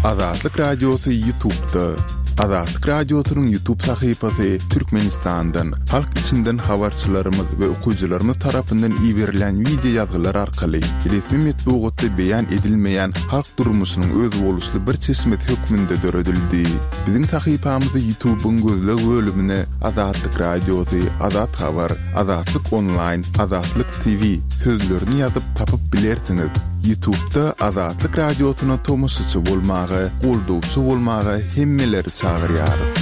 Azatlyk Radiosy Ýutubda. Azatlyk Radiosynyň Ýutub sahypasy Türkmenistandan, halk içinden habarçylarymyz we okyjylarymyz tarapyndan iberilen wideo ýazgylar arkaly resmi metbugatda beýan edilmeýän halk durmuşynyň özboluşly bir çeşmesi hökmünde döredildi. Biziň sahypamyzy Ýutubyň gözleg bölümine Azatlyk Radiosy, Azat Habar, Azatlyk Onlaýn, Azatlyk TV sözlerini ýazyp tapyp bilersiňiz. Ýutubda Azatlyk Radiosyna tomaşaçy bolmaga, goldawçy bolmaga hemmeleri çagyrýarys.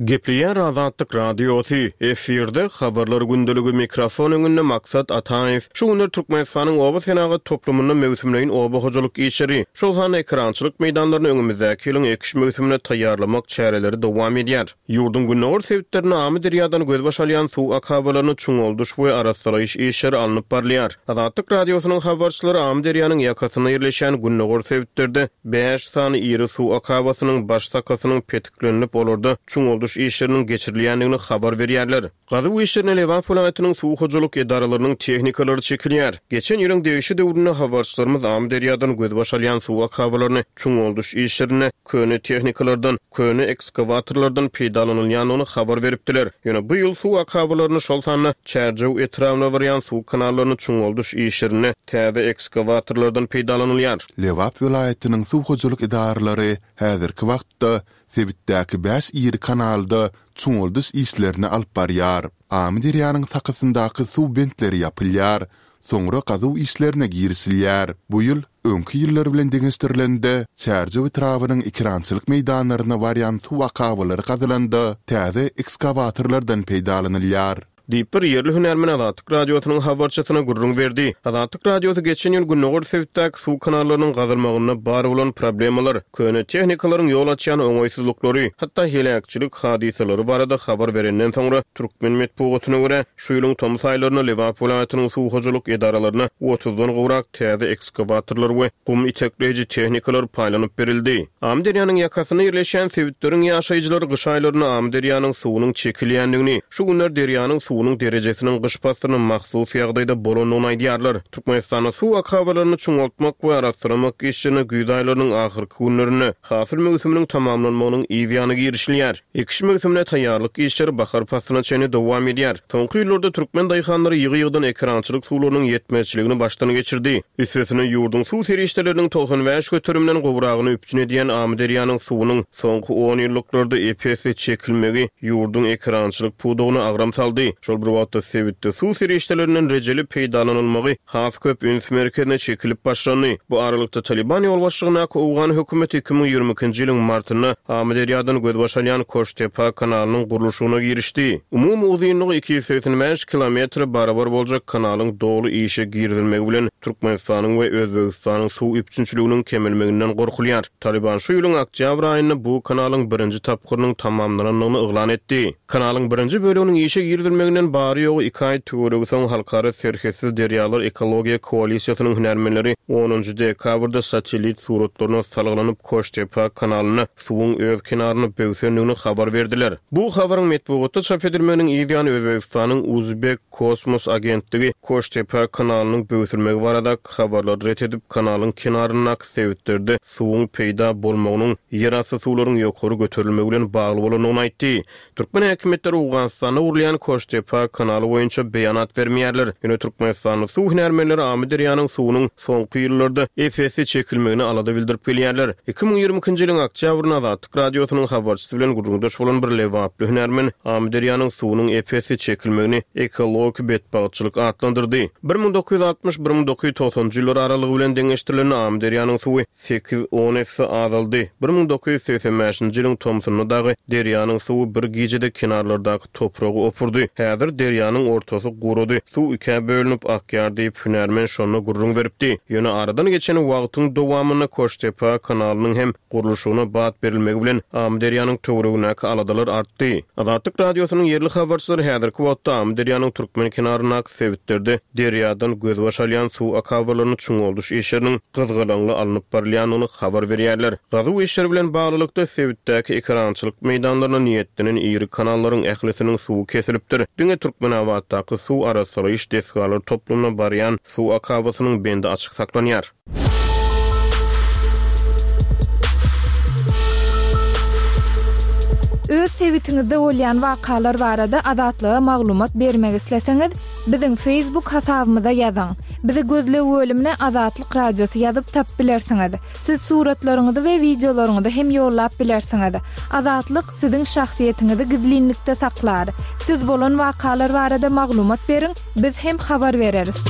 Gepleýär Azatlyk Radiosy, efirde Habarlar gündeligi, mikrofon öňünde Maksat Ataýew. Şu günler Türkmenistanyň oba senagat toplumynda möwsümleýin oba hojalyk işleri, şol sanda ekerançylyk meýdanlaryny öňümizdäki ýylyň ekiş möwsümine taýýarlamak çäreleri dowam edýär. Ýurduň gündogar sebitlerinde Amyderýadan gözbaş alýan suw akabalaryny çuňaldyş we arassalaýyş işleri alnyp barylýar. Azatlyk Radiosynyň habarçylary Amyderýanyň ýakasynda ýerleşýän gündogar sebitlerde bäş sany iri suw akabasynyň baş sakasynyň petiklenilip, olarda çuňaldyş işleriniň geçirilýändigini habar berýärler. Gazuw işlerine Lebap welaýatynyň suw hojalyk edaralarynyň tehnikalary çekilýär. Geçen ýylyň degişli döwründe habarçylarymyz Amyderýadan gözbaş alýan suw akabalaryny çuňaldyş işlerinde köne tehnikalardan, köne ekskawatorlardan peýdalanylýandygyny habar beripdiler. Ýöne bu ýyl suw akabalaryny, şol sanda Çärjew etrabyna barýan suw kanallaryny çuňaldyş işlerinde täze ekskawatorlardan peýdalanylýar. Lebap welaýatynyň suw hojalyk edaralary häzirki wagtda sebitdäki bäş iri kanalda çuňaldyş işlerini alyp barýar. Amyderýanyň sakasyndaky suw bentleri ýapylýar, soňra gazuw işlerine girişilýär. Bu ýyl öňki ýyllar bilen deňeşdirilende, Çärjew etrabynyň ekerançylyk meýdanlaryna barýan suw akabalary gazylanda täze ekskawatorlardan peýdalanylýar. Diýip, bir ýerli hünärmen Azatlyk Radiosynyň habarçysyna gürrüň berdi. Azatlyk Radiosy geçen ýyl gündogar sebitdäki suw kanallarynyň gazylmagynda bar bolan problemalar, köne tehnikalaryň ýol açýan oňaýsyzlyklary, hatda heläkçilik hadysalary barada habar berenden soňra, türkmen metbugatyna görä, şu ýylyň tomus aýlarynda Lebap welaýatynyň suw hojalyk edaralaryna otuzdan gowrak täze ekskawatorlar we gum itekleýji tehnikalar paýlanyp berildi. Amyderýanyň ýakasynda ýerleşýän sebitleriň ýaşaýjylary gyş aýlarynda Amyderýanyň suwunyň çekilýändigini, şu günler derýanyň suwunyň derejesiniň gyş paslyna mahsus ýagdaýda bolandygyny aýdýarlar. Türkmenistanda suw akabalaryny çuňaltmak we arassalamak işlerine güýz aýlarynyň ahyrky günlerinde, hasyl möwsüminiň tamamlanmagynyň yz ýany girişilýär. Ekiş möwsümine taýýarlyk işleri bahar paslyna çenli dowam edýär. Soňky ýyllarda türkmen daýhanlary ýygy-ýygydan ekerançylyk suwlarynyň ýetmezçiligini başdan geçirdi. Üstesine, ýurduň suw serişdeleriniň 95 göterimden gowragyny üpjün edýän Amyderýanyň suwunyň soňky onýyllyklarda ep-esli çekilmegi ýurduň ekerançylyk pudagyna agram saldy. Şol bir wagtda, sebitde suw serişdelerinden rejeli peýdalanylmagy has köp üns merkezine çekilip başlandy. Bu aralykda, Talyban ýolbaşçylygyndaky owgan hökümeti 2022-nji ýylyň martynda Amyderýadan gözbaş alýan Koştepa kanalynyň gurluşygyna girişdi. Umumy uzynlygy 285 kilometre barabar boljak kanalyň doly işe girizilmegi bilen Türkmenistanyň we Özbegistanyň suw üpjünçiliginiň kemelmeginden gorkulýar. Talyban şu ýylyň oktýabr aýynda bu kanalyň birinji tapgyrynyň tamamlanandygyny yglan etdi. Kanalyň birinji böleginiň işe girizilmeginden bary-ýogy iki aý töweregi soň Halkara serhetsiz derýalar ekologiýa koalisiýasynyň hünärmenleri onunjy dekabrda satellit suratlaryna salgylanyp Koştepa kanalynda suwuň öz kenaryny böwsendigini habar berdiler. Bu habaryň metbugatda çap edilmeginiň yz ýany Özbegistanyň Uzbek kosmos agentligi Koştepa kanalynyň böwsülmegi baradaky habarlary ret edip, kanalyň kenaryndaky sebitlerde suwuň peýda bolmagynyň ýerasty suwlaryň ýokary göterilmegi bilen bagly bolandygyny aýtdy. Türkmen häkimiýetleri Owganystanda gurulýan Koştepa kanaly boýunça beýanat bermeýärler. Ýöne türkmenistanly suw hünärmenleri Amyderýanyň suwunyň soňky ýyllarda ep-esli çekilmegine alada bildirip gelýärler. 2022-nji ýylyň oktýabrynda Azatlyk Radiosynyň habarçysy bilen gürrüňdeş bolan bir lebaply hünärmen Amyderýanyň suwunyň ep-esli çekilmegini ekologik betbagtçylyk atlandyrdy. 1960, 1990-njy ýyllar aralygy bilen deňeşdirilende Amyderýanyň suwy sekiz-on esse azaldy. 1985-nji ýylyň tomsunda dagy derýanyň suwy bir gijede kenarlardaky topragy opurdy. Häzir derýanyň ortasy gurady, suw ikä bölünip akýar diýip, hünärmen şonda gürrüň beripdi. Ýöne aradan geçen wagtyň dowamynda Koştepa kanalynyň hem gurluşygyna bat berilmegi bilen Amyderýanyň töweregindäki aladalar artdy. Azatlyk Radiosynyň ýerli habarçylary häzirki wagtda Amyderýanyň türkmen kenaryndaky sebitlerde derýadan gözbaş alýan suw akabalaryny çuňaldyş işleriniň gyzgalaňly alnyp barylýandygyny habar berýärler. Gazuw işleri bilen baglylykda, sebitdäki ekerançylyk meýdanlaryna niýetlenen iri kanallaryň ählisiniň suwy kesilipdir. Diňe Türkmenabatdaky suw arassalaýyş desgalar toplumyna barýan suw akabasynyň bendi açyk saklanýar. Öz sebitiňizde bolýan wakalar barada Azatlyga maglumat bermek isleseňiz, biziň Facebook hasabymyza ýazyň. Bizi gözleg bölümine Azatlyk Radiosy ýazyp tapyp bilersiňiz. Siz suratlaryňyzy we wideolaryňyzy hem ýollap bilersiňiz. Azatlyk siziň şahsyýetiňizi gizlinlikde saklar. Siz bolan wakalar barada maglumat beriň, biz hem habar bereris.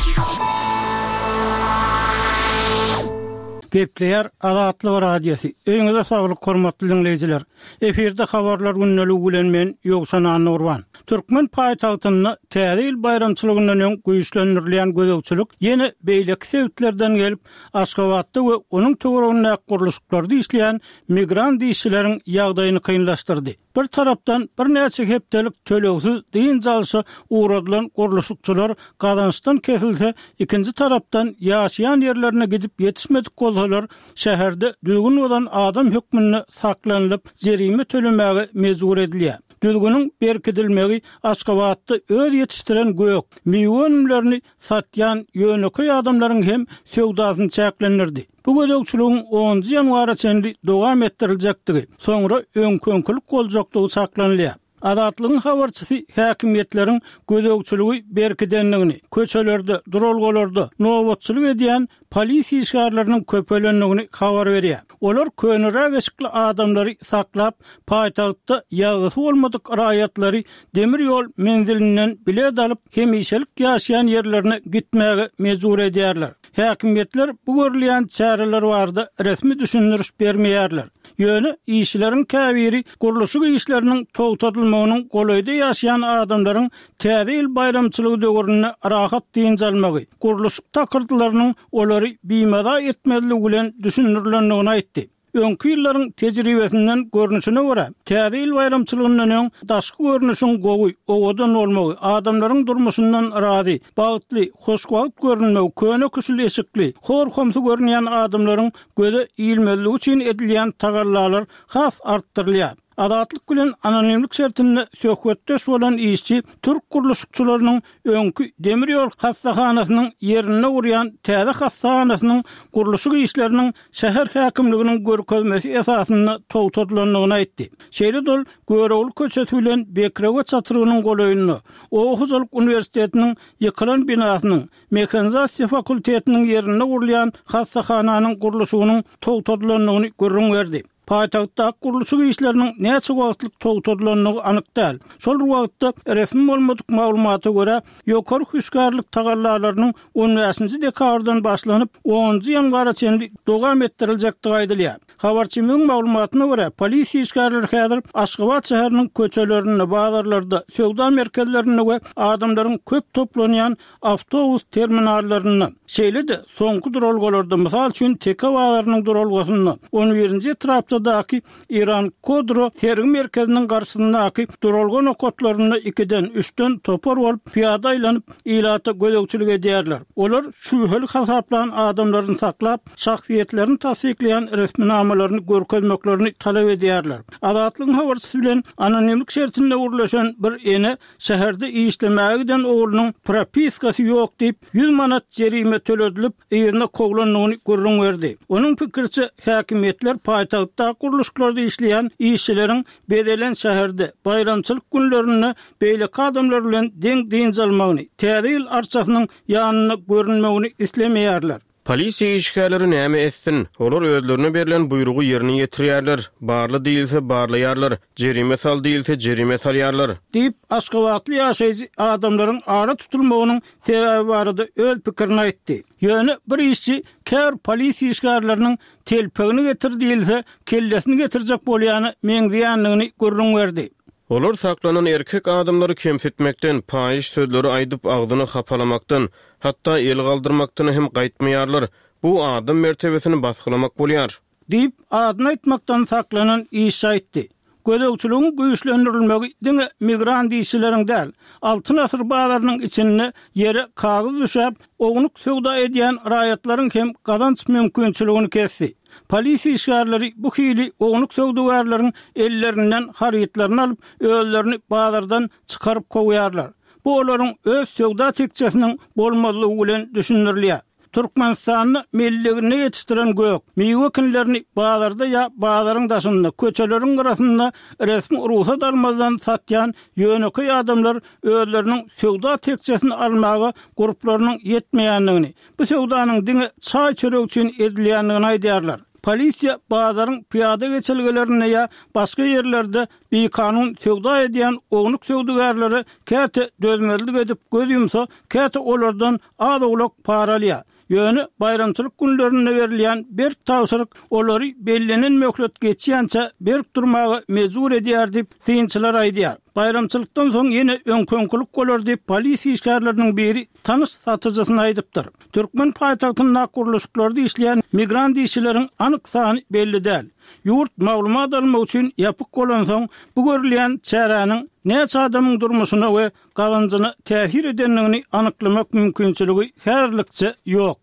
Gepleýär Azatlyk Radiosy. Öýüňize saglyk hormatly diňleýjiler. Efirde habarlar gündeligi bilen men Ýowşan Annagurban. Türkmen paýtagtynda Täze ýyl baýramçylygyndan öň güýçlendirilýän gözegçilik ýene beýleki sebitlerden gelip, Aşgabatda we onuň töweregindäki gurluşyklarda işleýän migrant işçileriň ýagdaýyny kynlaşdyrdy. Bir tarapdan, birnäçe hepdelik tölegsiz dynç alşa ugradylan gurluşykçylar gazançdan kesilse, ikinji tarapdan, ýaşaýan ýerlerine gidip ýetişmedik bolsalar, şäherde düzgün bozan adam hökmünde saklanylyp, jerime tölemäge mejbur edilýär. Düzgüniň berkidilmegi Aşgabatda öz ýetişdiren gök, miwe önümlerini satýan ýönekeý adamlaryň hem söwdasyny çäklendirdi. Bu gözegçiligiň onunjy ýanwara çenli dowam etdiriljekdigi, soňra öňki-öňkülik boljakdygy çaklanylýar. Azatlygyň habarçysy häkimiýetleriň gözegçiligi berkidendigini, köçelerde, duralgalarda nobatçylyk edýän polisiýa işgärleriniň köpelendigini habar berýär. Olar köneräk eşikli adamlary saklap, paýtagtda ýazgysy bolmadyk raýatlary demir ýol menzilinden bilet alyp, hemişelik ýaşaýan ýerlerine gitmäge mejbur edýärler. Häkimiýetler bu görülýän çäreler barada resmi düşündiriş bermeýärler. Ýöne işçileriň käbiri gurluşyk işleriniň togtadylmagynyň golaýda ýaşaýan adamlaryň Täze ýyl baýramçylygy döwründe rahat dynç almagy, gurluşyk takyrdylarynyň olary bimaza etmezligi bilen düşündirilendigini aýtdy. Öňki ýyllaryň tejribesinden görnüşine görä, Täze ýyl baýramçylygyndan öň daşky görnüşiň gowy, owadan bolmagy, adamlaryň durmuşyndan razy, bagtly, hoşwagt görünmegi, köne-küşül eşikli, hor-homsy görünýän adamlaryň göze ilmezligi üçin edilýän tagallalar has artdyrylýar. Azatlyk bilen anonimlik şertinde söhbetdeş bolan işçi türk gurluşykçylarynyň öňki demir ýol hassahanasynyň ýerinde gurýan täze hassahanasynyň gurluşyk işleriniň şäher häkimliginiň görkezmesi esasynda togtadylandygyny aýtdy. Şeýle-de ol Görogly köçesi bilen Bekrewe çatrygynyň golaýynda, Oba hojalyk uniwersitetiniň ýykylan binasynyň, mehanizasiýa fakultetiniň ýerinde gurulýan hassahananyň gurluşygynyň togtadylandygyny gürrüň berdi. Paýtagtdaky gurluşyk işleriniň näçe wagtlyk togtadylandygy anyk däl. Şol bir wagtda, resmi bolmadyk maglumata görä, ýokary hüşgärlik tagallalarynyň on bäşinji dekabrdan başlanyp, onunjy ýanwara çenli dowam etdiriljekdigi aýdylýar. Habarçymyzyň maglumatyna görä, polisiýa işgärleri häzir Aşgabat şäheriniň köçelerinde, bazarlarda, söwda merkezlerinde we adamlaryň köp toplanýan awtobus terminallarynda, şeýle-de soňky duralgalarda, mysal üçin, Teke bazarynyň duralgasynda, on birinji etrapçadaky Iran Kodro sergi merkeziniň garşysyndaky duralga nokatlarynda ikiden, üçden topar bolup pyýada aýlanyp, ilata gözegçilik edýärler. Olar şübheli hasaplan adamlaryny saklap, şahsyýetlerini tassyklaýan resminamalaryny görkezmeklerini talap edýärler. Azatlygyň habarçysy bilen anonimlik şertinde gürleşen bir ene Şäherde işlemäge giden oglunyň propiskasy ýok diýip, 100 manat jerime töledilip, yzyna kowlandygyny gürrüň berdi. Onuň pikiriçe, häkimiýetler paýtagtdaky gurluşyklarda işleýän işçileriň bezelen şäherde, baýramçylyk günlerinde beýleki adamlar bilen deň dynç almagyny, Täze ýyl arçasynyň ýanynda görünmegini islemeýärler. Polisiýa işgärleri näme etsin? Olar özlerine berlen buýrugy ýerine ýetirýärler. Barla diýilse, barlaýarlar. Jerime sal diýilse, jerime salýarlar. Diýip, aşgabatly ýaşaýjy adamlaryň ara tutulmagynyň sebäbi barada öz pikirini aýtdy. Ýöne bir işçi käbir polisiýa işgärleriniň telpegini getir diýilse, kellesini getirjek bolýana meňzeýändigini gürrüň berdi. Olar saklanan erkek adamlary kemsitmekden, paýyş sözleri aýdyp, agzyny hapalamakdan, hatda el galdyrmakdan hem gaýtmaýarlar. Bu adam mertebesini basgylamak bolýar. Diýip, adyny aýtmakdan saklanan işçi aýtdy. Gözegçiligiň güýçlendirilmegi diňe migrant işçileriň däl, Altyn asyr bazarynyň içinde ýere kagyz düşäp, ownuk söwda edýän raýatlaryň hem gazanç mümkinçiligini kesdi. Polisiýa işgärleri bu hili ownuk söwdagärleriň ellerinden harytlaryny alyp, özlerini bazardan çykaryp kowýarlar. Bu olaryň öz söwda tekjesiniň bolmazlygy bilen düşündirilýär. Türkmenistanda melleginde ýetişdiren gök, miwe ekinlerini bazarda ýa bazaryň daşynda, köçeleriň gyrasynda resmi rugsat almazdan satýan ýönekeý adamlar özleriniň söwda tekjesini almaga gurplarynyň ýetmeýändigini, bu söwdanyň diňe çaý-çörek üçin edilýändigini aýdýarlar. Polisiýa bazaryň pyýada geçelgelerinde ýa başga ýerlerde bikanun söwda edýän ownuk söwdagärlere käte dözmezlik edip göz ýumsa, käte olardan az-owlak para alýar. Ýöne baýramçylyk günlerinde berilýän berk tabşyryk olary bellenen möhlet geçýänçä berk durmaga mejbur edýär diýip, synçylar aýdýar. Baýramçylykdan soň ýene öňki-öňkülik bolar diýip, polisiýa işgärleriniň biri tanyş satyjysyna aýdypdyr. Türkmen paýtagtyndaky gurluşyklarda işleýän migrant işçileriň anyk sany belli däl. Ýurt maglumat almak üçin ýapyk bolansoň, bu görülýän çäräniň näçe adamyň durmuşyna we gazanjyna täsir edendigini anyklamak mümkinçiligi häzirlikçe ýok.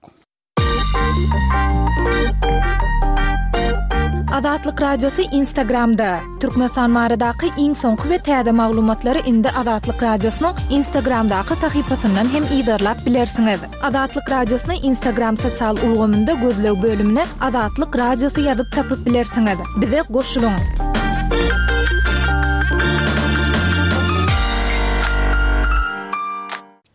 Azatlyk Radiosy Instagramda, Türkmenistan baradaky iň soňky we täze maglumatlary indi Azatlyk Radiosynyň Instagramdaky sahypasyndan hem yzarlap bilersiňiz. Azatlyk Radiosyny Instagram sosial ulgamynda gözleg bölümine Azatlyk Radiosy ýazyp tapyp bilersiňiz. Bize goşulyň!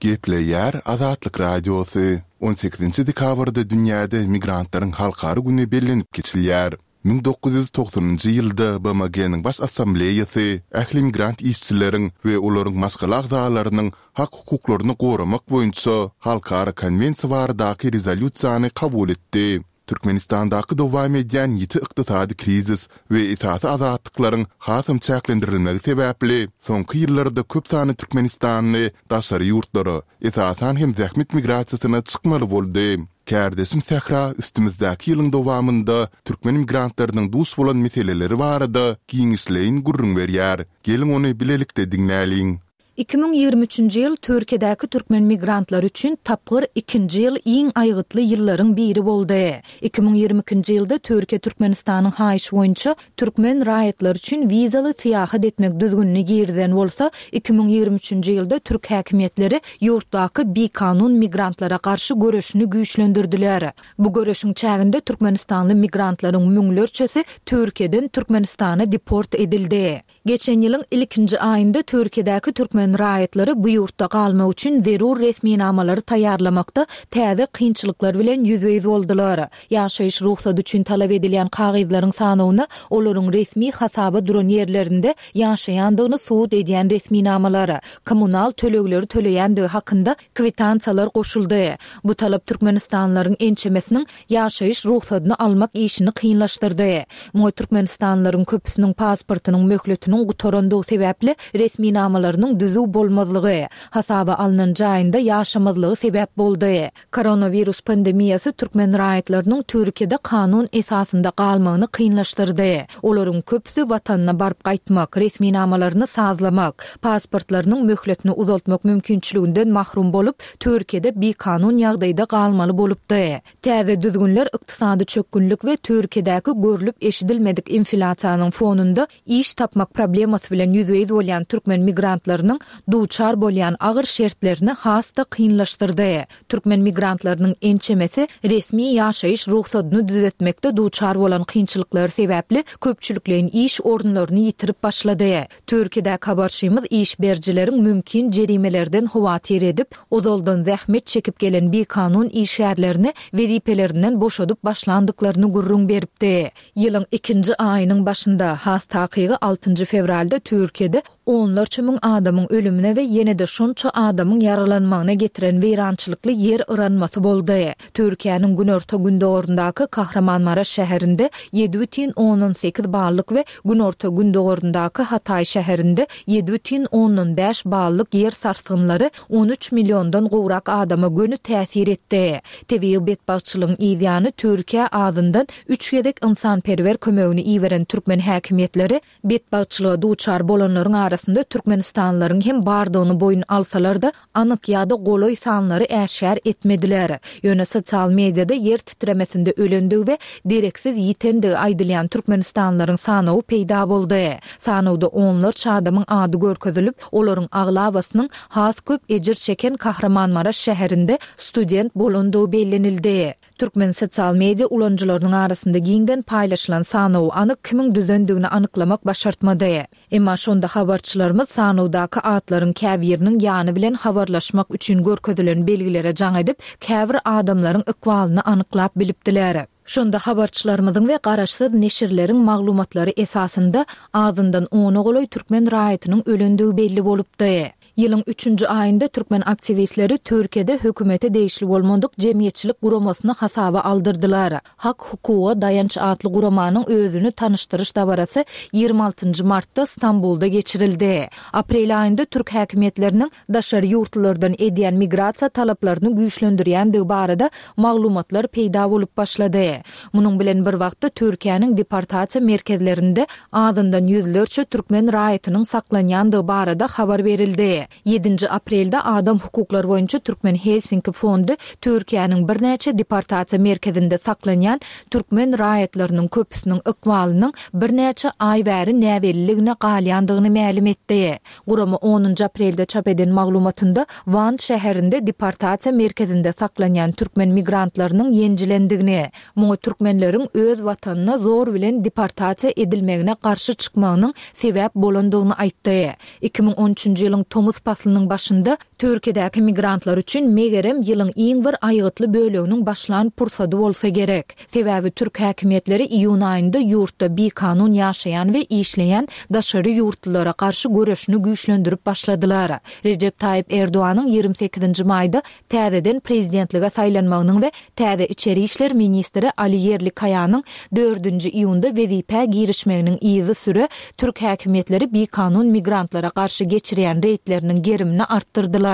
Gepleýär Azatlyk Radiosy, On sekizinji dekabrda dünýäde Migrantlaryň halkara güni bellenip geçilýär. 1990-njy ýylda BMG-niň Baş Assambleýasy ähli migrant işçileriň we olaryň maşgala agzalarynyň hak-hukuklaryny goramak boýunça halkara konwensiýa baradaky rezolýusiýany kabul etdi. Türkmenistandaky dowam edýän ýiti ykdysady krizis we esasy azatlyklaryň hasam çäklendirilmegi sebäpli, soňky ýyllarda köp sanly türkmenistanly daşary ýurtlara, esasan hem zähmet migrasiýasyna çykmaly boldy. Kärdeşim Sähra üstümizdäki ýylyň dowamynda türkmen migrantlarynyň duş bolan meseleleri barada giňişleýin gürrüň berýär. Geliň ony bilelikde diňläliň. 2023-nji ýyl Türkiýedäki türkmen migrantlary üçin tapgyr ikinji ýyl iň aýgytly ýyllaryň biri boldy. 2022-nji ýylda Türkiýe Türkmenistanyň haýyşy boýunça türkmen raýatlary üçin wizaly syýahat etmek düzgünini girizen bolsa, 2023-nji ýylda türk häkimiýetleri ýurtdaky bikanun migrantlara garşy göreşini güýçlendirdiler. Bu göreşiň çäginde türkmenistanly migrantlaryň müňlerçesi Türkiýeden Türkmenistana deport edildi. Geçen ýylyň ilkinji aýynda Türkiýedäki türkmen raýatlary bu ýurtda galmak üçin zerur resminamalary taýýarlamakda täze kynçylyklar bilen ýüzbe-ýüz boldular. Ýaşaýyş rugsady üçin talap edilýän kagyzlaryň sanawyna olaryň resmi hasaba duran ýerlerinde ýaşaýandygyny subut edýän resminamalar, kommunal tölegleri töleýändigi hakynda kwitansiýalar goşuldy. Bu talap türkmenistanlylaryň ençemesiniň ýaşaýyş rugsadyny almak işini kynlaşdyrdy. Muňa türkmenistanlylaryň köpüsiniň pasportynyň möhletiniň gutarandygy sebäpli resminamalarynyň düzüw bolmazlygy, hasaba alnan jaýynda ýaşamazlygy sebäp boldy. Koronawirus pandemiýasy türkmen raýatlarynyň Türkiýede kanun esasynda galmagyny kynlaşdyrdy. Olaryň köpüsi watanyna baryp gaýtmak, resminamalaryny sazlamak, pasportlarynyň möhletini uzaltmak mümkinçiliginden mahrum bolup, Türkiýede bikanun ýagdaýda galmaly bolupdy. Täze düzgünler ykdysady çökgünlik we Türkiýedäki görlüp-eşidilmedik infilýasiýanyň fonunda iş tapmak problemasy bilen ýüzbe-ýüz bolýan türkmen migrantlarynyň duçar bolýan agyr şertlerini has-da kynlaşdyrdy. Türkmen migrantlarynyň ençemesi resmi ýaşaýyş rugsadyny düzetmekde duçar bolan kynçylyklary sebäpli köpçülikleýin iş orunlaryny ýitirip başlady. Türkiýedäki habarçymyz iş berijileriň mümkin jerimelerden howatyr edip, ozaldan zähmet çekip gelen bikanun işgärlerini wezipelerinden boşadyp başlandyklaryny gürrüň beripdi. Ýylyň ikinji aýynyň başynda, has takygy altynjy fewralda Türkiýede onlarça müň adamyň ölümine we ýene-de şonça adamyň ýaralanmagyna getiren weýrançylykly ýer yranmasy boldy. Türkiýäniň günorta-gündogaryndaky Kahramanmaraş şäherinde 7,8 ballyk we günorta-gündogaryndaky Hataý şäherinde 7,5 ballyk ýer sarsgynlary 13 milliondan gowrak adama göni täsir etdi. Tebigy betbagtçylygyň yzýany Türkiýä azyndan üç gezek ynsanperwer kömegini iberen türkmen häkimiýetleri betbagtçylyga duçar bolanlaryň arasynda. arasynda türkmenistanlylaryň hem bardygyny boýun alsalar-da, anyk ýa-da golaý sanlary äşgär etmediler. Ýöne sosial mediada ýer titremesinde ölendigi we dereksiz ýitendigi aýdylýan türkmenistanlylaryň sanawy peýda boldy. Sanawda onlarça adamyň ady görkezilip, olaryň aglabasynyň has köp ejir çeken Kahramanmaraş şäherinde student bolandygy bellenildi. Türkmen sosial media ulanyjylarynyň arasynda giňden paýlaşylan sanawy anyk kimiň düzendigini anyklamak başartmady. Emma şonda habarçylarymyz sanawdaky atlaryň käbiriniň ýany bilen habarlaşmak üçin görkezilen belgilere jaň edip, käbir adamlaryň ykbalyny anyklap bilipdiler. Şonda habarçylarymyzyň we garaşsyz neşirleriň maglumatlary esasynda azyndan ona golaý türkmen raýatynyň ölendigi belli bolupdy. Ýylyň üçünji aýynda türkmen aktiwistleri Türkiýede hökümete degişli bolmadyk jemgyýetçilik guramasyny hasaba aldyrdylar. Hak-hukuga daýanç atly guramanyň özüni tanyşdyryş dabarasy 26 martda Stambulda geçirildi. Aprel aýynda türk häkimiýetleriniň daşary ýurtlulardan edýän migrasiýa talaplaryny güýçlendirýändigi barada maglumatlar peýda bolup başlady. Munuň bilen bir wagtda Türkiýäniň deportasiýa merkezlerinde azyndan ýüzlerçe türkmen raýatynyň saklanýandygy barada habar berildi. Ýedinji aprelde Adam hukuklary boýunça Türkmen Helsinki fondy Türkiýäniň birnäçe deportasiýa merkezinde saklanýan türkmen raýatlarynyň köpüsiniň ykbalynyň birnäçe aý bäri näbelliligine galýandygyny mälim etdi. Gurama onunjy aprelde çap eden maglumatynda Wan şäherinde deportasiýa merkezinde saklanýan türkmen migrantlarynyň ýenjilendigini, muňa türkmenleriň öz watanyna zor bilen deportasiýa edilmegine garşy çykmagynyň sebäp bolandygyny aýtdy. 2013-nji ýylyň tomus paslynyň başynda Türkiýedäki migrantlar üçin megerem ýylyň iň bir aýgytly böleginiň başlan pursady bolsa gerek. Sebäbi türk häkimiýetleri iýun aýynda ýurtda bikanun ýaşaýan we işleýän daşary ýurtlulara garşy göreşini güýçlendirip başladylar. Rejep Taýyp Erdoganyň 28-nji maýda täzeden prezidentlige saýlanmagynyň we täze içeri işler ministri Ali Ýerlikaýanyň dördünji iýunda wezipä girişmeginiň yzysüre türk häkimiýetleri bikanun migrantlara garşy geçirýän reýdleriniň gerimini artdyrdylar.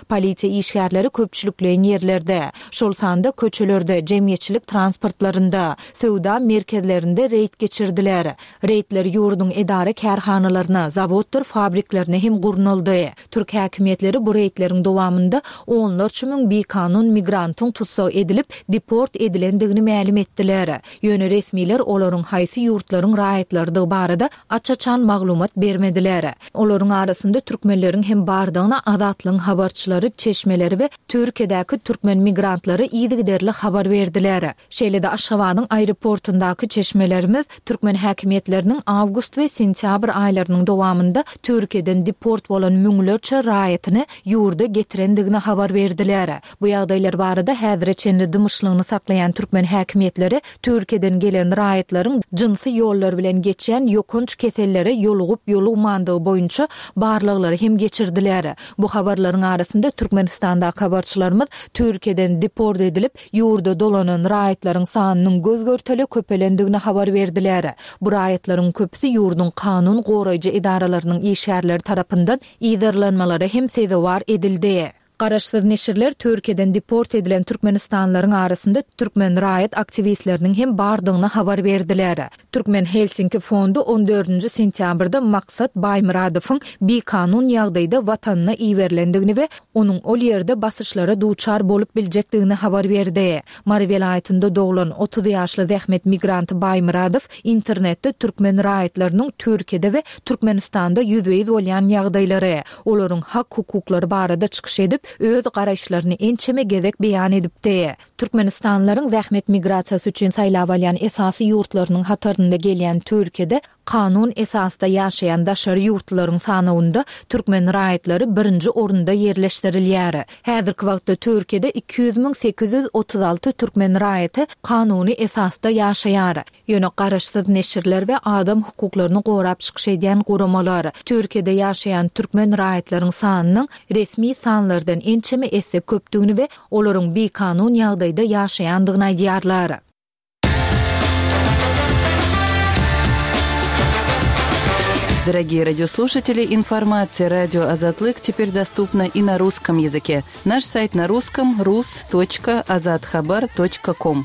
Polisiýa işgärleri köpçülikleýin ýerlerde, şol sanda köçelerde, jemgyýetçilik transportlarynda, söwda merkezlerinde reýd geçirdiler. Reýdler ýurduň edara-kärhanalaryna, zawoddyr fabriklerine hem gurnaldy. Türk häkimiýetleri bu reýdleriň dowamynda onlarça müň bikanun migrantyň tussag edilip, deport edilendigini mälim etdiler. Ýöne resmiler olaryň haýsy ýurtlaryň raýatlarydygy barada aç-açan maglumat bermediler. Olaryň arasynda türkmenleriň hem bardygyny Azatlygyň habarçylary, çeşmeleri we Türkiýedäki türkmen migrantlary yzygiderli habar berdiler. Şeýle-de Aşgabadyň aeroportundaky çeşmelerimiz türkmen häkimiýetleriniň awgust we sentýabr aýlarynyň dowamynda Türkiýeden deport bolan müňlerçe raýatyny ýurda getirendigini habar berdiler. Bu ýagdaýlar barada häzire çenli dymyşlygyny saklaýan türkmen häkimiýetleri Türkiýeden gelen raýatlaryň jynsy ýollar bilen geçýän ýokanç kesellere ýolugyp-ýolugmandygy boýunça barlaglary hem geçirdiler. Bu habarlaryň arasynda Türkmenistandaky habarçylarymyz Türkiýeden deport edilip, ýurda dolanan raýatlaryň sanynyň göz-görtele köpelendigini habar berdiler. Bu raýatlaryň köpüsi ýurduň kanun goraýjy edaralarynyň işgärleri tarapyndan yzarlanmalara hem sezewar edildi. Garaşsyz neşirler Türkiýeden deport edilen türkmenistanlylaryň arasynda türkmen raýat aktiwistleriniň hem bardygyny habar berdiler. Türkmen Helsinki fondy on dördünji sentýabrda Maksat Baýmyradowyň bikanun ýagdaýda watanyna iberilendigini we onuň ol ýerde basyşlara duçar bolup biljekdigini habar berdi. Mary welaýatynda doglan, 30 ýaşly zähmet migranty Baýmyradow internetde türkmen raýatlarynyň Türkiýede we Türkmenistanda ýüzbe-ýüz bolýan ýagdaýlary, olaryň hak-hukuklary barada çykyş edip, öz garaýyşlaryny ençeme gezek beýan edipdi. Türkmenistanlylaryň zähmet migrasiýasy üçin saýlap alýan esasy ýurtlarynyň hatarynda gelýän Türkiýede kanun esasda ýaşaýan daşary ýurtlularyň sanawynda türkmen raýatlary birinji orunda ýerleşdirilýär. Häzirki wagtda Türkiýede 200 836 türkmen raýaty kanuny esasda ýaşaýar. Ýöne garaşsyz neşirler we adam hukuklaryny gorap çykyş edýän guramalar, Türkiýede ýaşaýan türkmen raýatlaryň sanynyň resmi sanlardan ençeme esse köpdügini we olaryň bikanun ýagdaýda ýaşaýandygyny aýdýarlar. Дорогие радиослушатели, информация радио Азатлык теперь доступна и на русском языке. Наш сайт на русском rus.azathabar.com.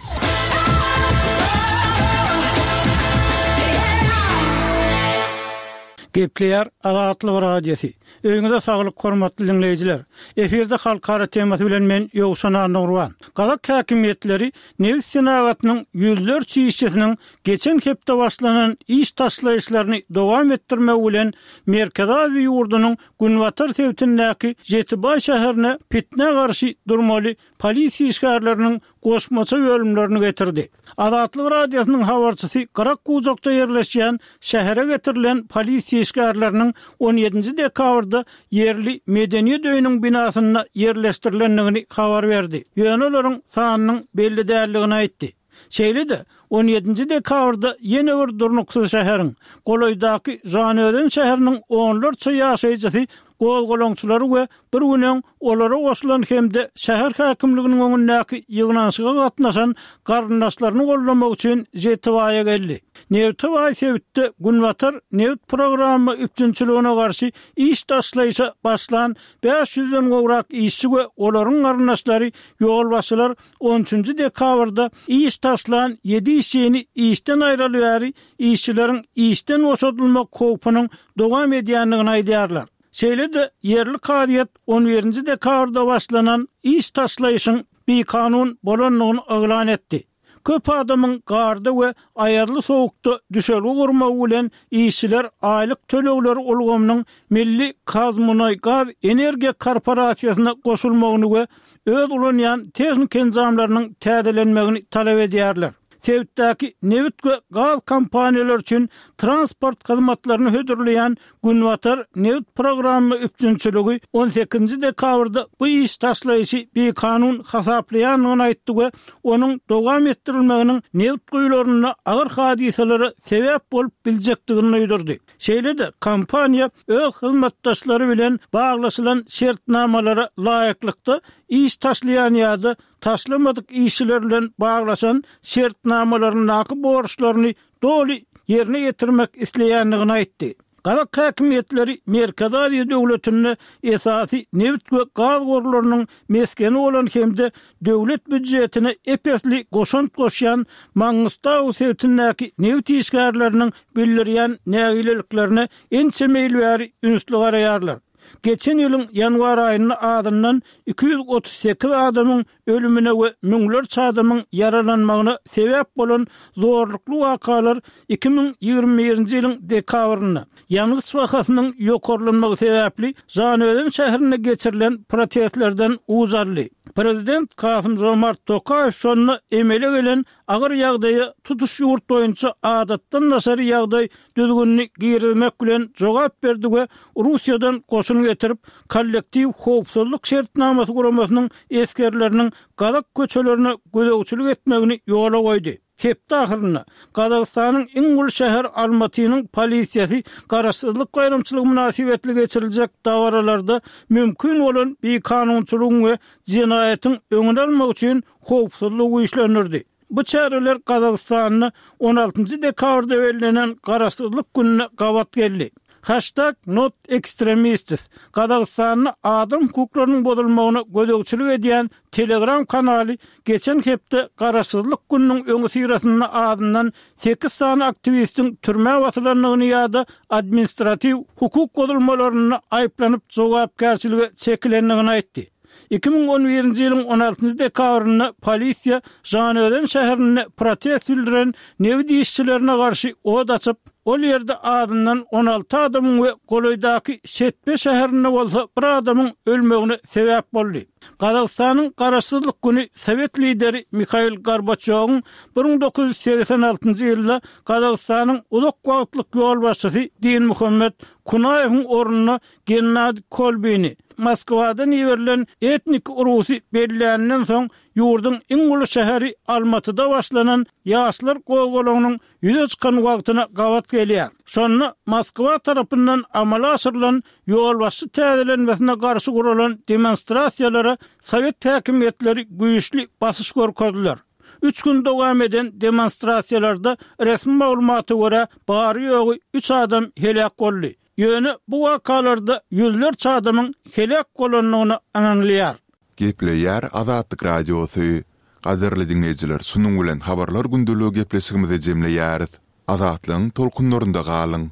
Gepleýär Azatlyk Radiosy. Öýüňize saglyk hormatly diňleýjiler. Efirde halkara temasy bilen men Ýowşan Annagurban. Gazak häkimiýetleri nebit senagatynyň ýüzlerçe işçisiniň geçen hepde başlanan iş taşlaýyşlaryny dowam etdirmegi bilen Merkezi Aziýa ýurdunyň günbatar sebitindäki Žetibaý şäherine pitnä garşy durmaly polisiýa işgärleriniň goşmaça bölümlerini getirdi. Azatlyk Radiosynyň habarçysy gyrak-bujakda ýerleşýän şähere getirilen polisiýa işgärleriniň on ýedinji dekabrda ýerli Medeniýet öýüniň binasynda ýerleşdirilendigini habar berdi, ýöne olaryň sanynyň belli däldigini aýtdy. Şeýle-de, on ýedinji dekabrda ýene bir durnuksyz şäheriň, golaýdaky Žanaözen şäheriniň onlarça ýaşaýjysy gozgalaňçylary we bir gün öň olara goşulan hem-de şäher häkimliginiň öňündäki ýygnanyşyga gatnaşan garyndaşlaryny goldamak üçin Žetibaýa geldi. Nebite baý sebitde Günbatar nebit programma üpjünçiligine garşy iş taşlaýşa başlan bäş ýüzden gowrak işçi we olaryň garyndaşlary ýolbaşçylar on üçünji dekabrda iş taşlan ýedi işçini işden aýraly bäri işçileriň işden boşadylmak howpunyň dowam edýändigini aýdýarlar. Şeýle-de, ýerli kazyýet on birinji dekabrda başlanan iş taşlaýşyň bikanun bolandygyny yglan etdi. Köp adamyň garda we aýazly sowukda düşelge gurmagy bilen işçiler aýlyk tölegleri ulgamynyň milli KazMunaýGaz energiýa korporasiýasyna goşulmagyny we öz ulanýan tehniki enjamlarynyň täzelenmegini talap edýärler. Sebitdäki nebit we gaz kompaniýalary üçin transport hyzmatlaryny hödürleýän Günbatar nebit programma üpjünçiligi on sekizinji dekabrda bu iş taşlaýşy bikanun hasaplaýandygyny aýtdy we onuň dowam etdirilmeginiň nebit guýularynda agyr hadysalara sebäp bolup biljekdigini duýdurdy. Şeýle-de, kompaniýa öz hyzmatdaşlary bilen baglaşylan şertnamalara laýyklykda iş taşlaýan ýa-da taşlamadyk işçiler bilen baglaşan şertnamalaryndaky borçlaryny doly ýerine ýetirmek isleýändigini aýtdy. Gazak häkimiýetleri Merkezi Aziýa döwletinde esasy nebit we gaz gorlarynyň mesgeni bolan hem-de döwlet býujetine ep-esli goşant goşýan Mangystau sebitindäki nebit işgärleriniň bildirýän nägileliklerine ençeme ýyl bäri ünsli garaýarlar. Geçen ýylyň ýanwar aýynda azyndan 238 adamyň ölümine we müňlerçe adamyň ýaralanmagyna sebäp bolan zorlukly wakalar 2021-nji ýylyň dekabrynda, ýangyç bahasynyň ýokarlanmagy sebäpli Žanaözen şäherinde geçirilen protestlerden uç aldy. Prezident Kasym-Žomart Tokaýew şonda emele gelen agyr ýagdaýa tutuş ýurt boýunça adatdan daşary ýagdaý düzgünini girizmek bilen jogap berdi we Russiýadan goşun getirip, Kollektiw howpsuzlyk şertnamasy guramasynyň esgerleriniň gazak köçelerine gözegçilik etmegini ýola goýdy. Hepde ahyrynda Gazagystanyň iň uly şäheri Almatynyň polisiýasy Garaşsyzlyk baýramçylygy mynasybetli geçiriljek dabaralarda mümkin bolan bikanunçylygyň we jenaýatyň öňüni almak üçin howpsuzlygy güýçlendirdi. Bu çäreler Gazagystanda on altynjy dekabrda bellenen Garaşsyzlyk gününe gabat geldi. Haştag not ekstremistis Gazagystanda adam hukuklarynyň bozulmagyna gözegçilik edýän Telegram kanaly geçen hepde Garaşsyzlyk gününiň öňüsyrasynda azyndan sekiz sany aktiwistiň türmä basylandygyny ýa-da administratiw hukuk bozulmalarynda aýyplanyp jogapkärçilige çekilendigini aýtdy. 2011-nji ýylyň on altynjy dekabrynda polisiýa Žanaözen şäherinde protest bildiren nebit işçilerine garşy ot açyp, ol ýerde azyndan 16 adamyň we golaýdaky Şetpe şäherinde bolsa bir adamyň ölmegine sebäp boldy. Gazagystanyň Garaşsyzlyk güni sowet lideri Mihail Gorbaçýowyň 1986-njy ýylda Gazagystanyň uzak wagtlyk ýolbaşçysy Dinmuhammet Kunaýewiň ornuna Gennadiý Kolbini Moskwadan iberilen etnik rusy belläninden soň ýurduň iň uly şäheri Almatyda başlanan ýaşlar gozgalaňynyň ýüze çykan wagtyna gabat gelýär. Şonda Moskwa tarapyndan amala aşyrylan ýolbaşçy täzelenmesine garşy guralan demonstrasiýalara sowet häkimiýetleri güýçli basyş görkezdiler. Üç gün dowam eden demonstrasiýalarda resmi maglumata görä bary-ýogy üç adam heläk boldy. Ýöne bu wakalarda ýüzlerçe adamyň heläk bolandygyna ynanylýar. Gepleýär Azatlyk Radiosy. Gadyrly diňleýjiler şunuň bilen Habarlar gündeligi gepleşigimizi jemleýäris. Azatlygyň tolkunlarynda galyň.